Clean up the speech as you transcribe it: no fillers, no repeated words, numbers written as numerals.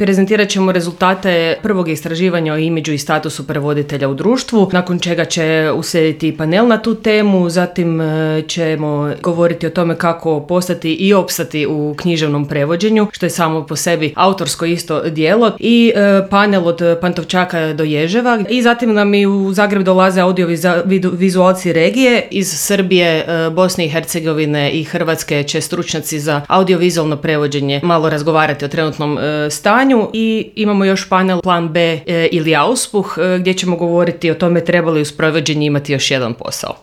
Prezentirat ćemo rezultate prvog istraživanja o imidžu i statusu prevoditelja u društvu, nakon čega će uslijediti panel na tu temu, zatim ćemo govoriti o tome kako postati i opstati u književnom prevođenju, što je samo po sebi autorsko isto djelo, panel od Pantovčaka do Ježeva, i zatim nam i u Zagreb dolaze audiovizualci regije iz Srbije, Bosne i Hercegovine i Hrvatske. Će stručnjaci za audiovizualno prevođenje malo razgovarati o trenutnom stanju, i imamo još panel Plan B ili Auspuh, gdje ćemo govoriti o tome treba li uz prevođenje imati još jedan posao.